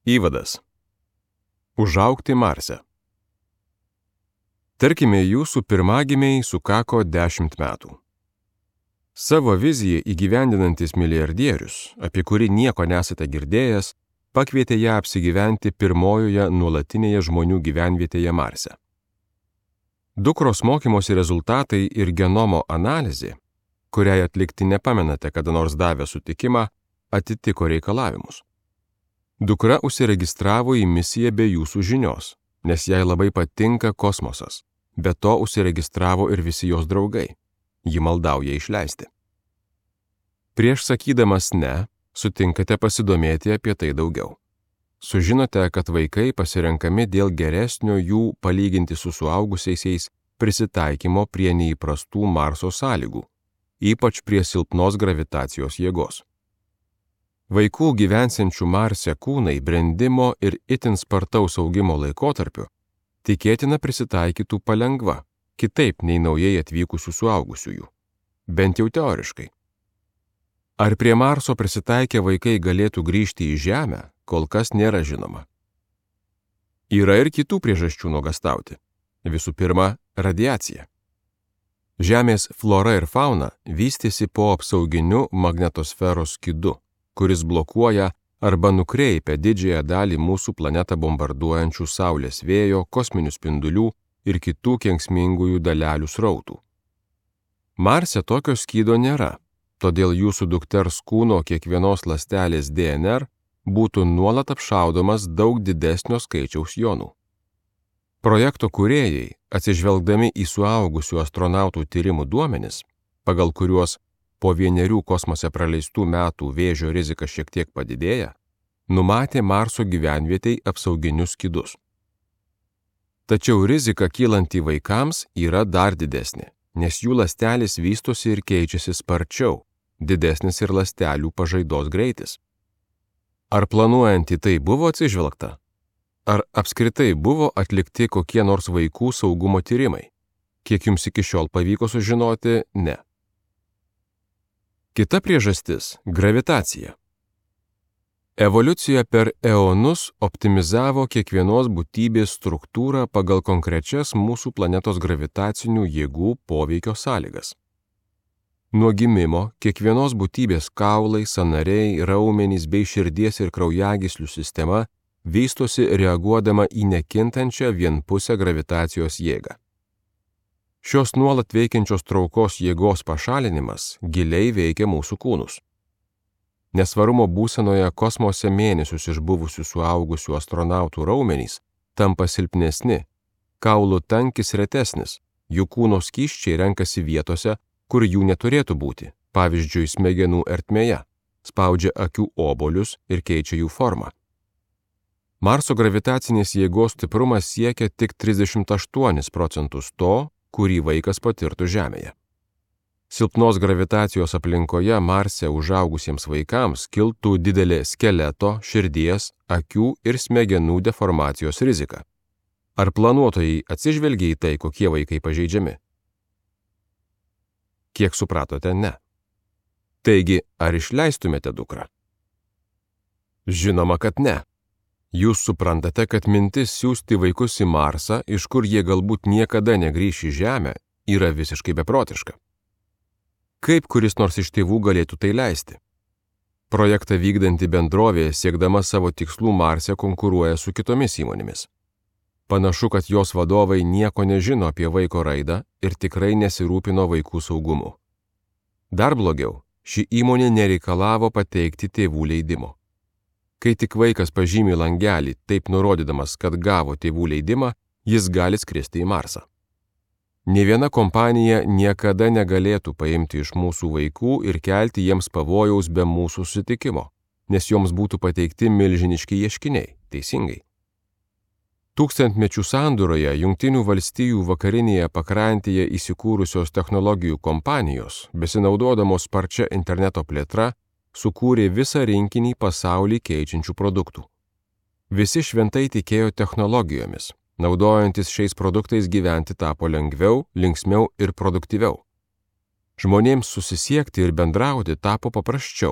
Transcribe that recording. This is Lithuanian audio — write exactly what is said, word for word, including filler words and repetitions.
Įvadas. Užaugti Marse. Tarkime, jūsų pirmagimiai sukako dešimt metų. Savo viziją įgyvendinantis milijardierius, apie kurį nieko nesate girdėjęs, pakvietė ją apsigyventi pirmojoje nuolatinėje žmonių gyvenvietėje Marse. Dukros mokymosi rezultatai ir genomo analizė, kuriai atlikti nepamenate kada nors davę sutikimą, atitiko reikalavimus. Dukra užsiregistravo į misiją be jūsų žinios, nes jai labai patinka kosmosas. Be to užsiregistravo ir visi jos draugai. Ji maldauja išleisti. Prieš sakydamas ne, sutinkate pasidomėti apie tai daugiau. Sužinote, kad vaikai pasirenkami dėl geresnio jų palyginti su suaugusiaisiais prisitaikymo prie neįprastų Marso sąlygų, ypač prie silpnos gravitacijos jėgos. Vaikų gyvensiančių Marse kūnai brendimo ir itin spartaus augimo laikotarpiu tikėtina prisitaikytų palengva, kitaip nei naujai atvykusių suaugusiųjų, bent jau teoriškai. Ar prie Marso prisitaikę vaikai galėtų grįžti į Žemę, kol kas nėra žinoma. Yra ir kitų priežasčių nuogąstauti. Visų pirma, radiacija. Žemės flora ir fauna vystėsi po apsauginiu magnetosferos skydu, kuris blokuoja arba nukreipia didžiąją dalį mūsų planetą bombarduojančių saulės vėjo, kosminių spindulių ir kitų kenksmingųjų dalelių srautų. Marse tokio skydo nėra, todėl jūsų dukters kūno kiekvienos ląstelės D N R būtų nuolat apšaudomas daug didesnio skaičiaus jonų. Projekto kūrėjai, atsižvelgdami į suaugusių astronautų tyrimų duomenis, pagal kuriuos po vienerių kosmose praleistų metų vėžio rizika šiek tiek padidėja, numatė Marso gyvenvietei apsauginius skydus. Tačiau rizika kylanti vaikams yra dar didesnė, nes jų ląstelės vystosi ir keičiasi sparčiau, didesnis ir ląstelių pažaidos greitis. Ar planuojant į tai buvo atsižvelgta? Ar apskritai buvo atlikti kokie nors vaikų saugumo tyrimai? Kiek jums iki šiol pavyko sužinoti, ne. Kita priežastis – gravitacija. Evoliucija per eonus optimizavo kiekvienos būtybės struktūrą pagal konkrečias mūsų planetos gravitacinių jėgų poveikio sąlygas. Nuo gimimo kiekvienos būtybės kaulai, sąnariai, raumenys bei širdies ir kraujagyslių sistema vystosi reaguodama į nekintančią vienpusę gravitacijos jėgą. Šios nuolat veikiančios traukos jėgos pašalinimas giliai veikia mūsų kūnus. Nesvarumo būsenoje kosmose mėnesius išbuvusių suaugusių astronautų raumenys tampa silpnesni, kaulų tankis retesnis, jų kūno skysčiai renkasi vietose, kur jų neturėtų būti, pavyzdžiui, smegenų ertmėje, spaudžia akių obuolius ir keičia jų formą. Marso gravitacinės jėgos stiprumas siekia tik trisdešimt aštuonis procentus to, kurį vaikas patirtų Žemėje. Silpnos gravitacijos aplinkoje Marse užaugusiems vaikams kiltų didelė skeleto, širdies, akių ir smegenų deformacijos rizika. Ar planuotojai atsižvelgia į tai, kokie vaikai pažeidžiami? Kiek supratote, ne. Taigi, ar išleistumėte dukrą? Žinoma, kad ne. Jūs suprantate, kad mintis siųsti vaikus į Marsą, iš kur jie galbūt niekada negrįš į Žemę, yra visiškai beprotiška. Kaip kuris nors iš tėvų galėtų tai leisti? Projektą vykdanti bendrovė, siekdama savo tikslų Marse, konkuruoja su kitomis įmonėmis. Panašu, kad jos vadovai nieko nežino apie vaiko raidą ir tikrai nesirūpino vaikų saugumu. Dar blogiau, ši įmonė nereikalavo pateikti tėvų leidimo. Kai tik vaikas pažymi langelį, taip nurodydamas, kad gavo tėvų leidimą, jis gali skristi į Marsą. Nė viena kompanija niekada negalėtų paimti iš mūsų vaikų ir kelti jiems pavojaus be mūsų sutikimo, nes joms būtų pateikti milžiniški ieškiniai, teisingai. Tūkstantmečių sandūroje Jungtinių valstijų vakarinėje pakrantėje įsikūrusios technologijų kompanijos, besinaudodamos sparčia interneto plėtra, sukūrė visą rinkinį pasaulį keičiančių produktų. Visi šventai tikėjo technologijomis, naudojantis šiais produktais gyventi tapo lengviau, linksmiau ir produktyviau. Žmonėms susisiekti ir bendrauti tapo paprasčiau,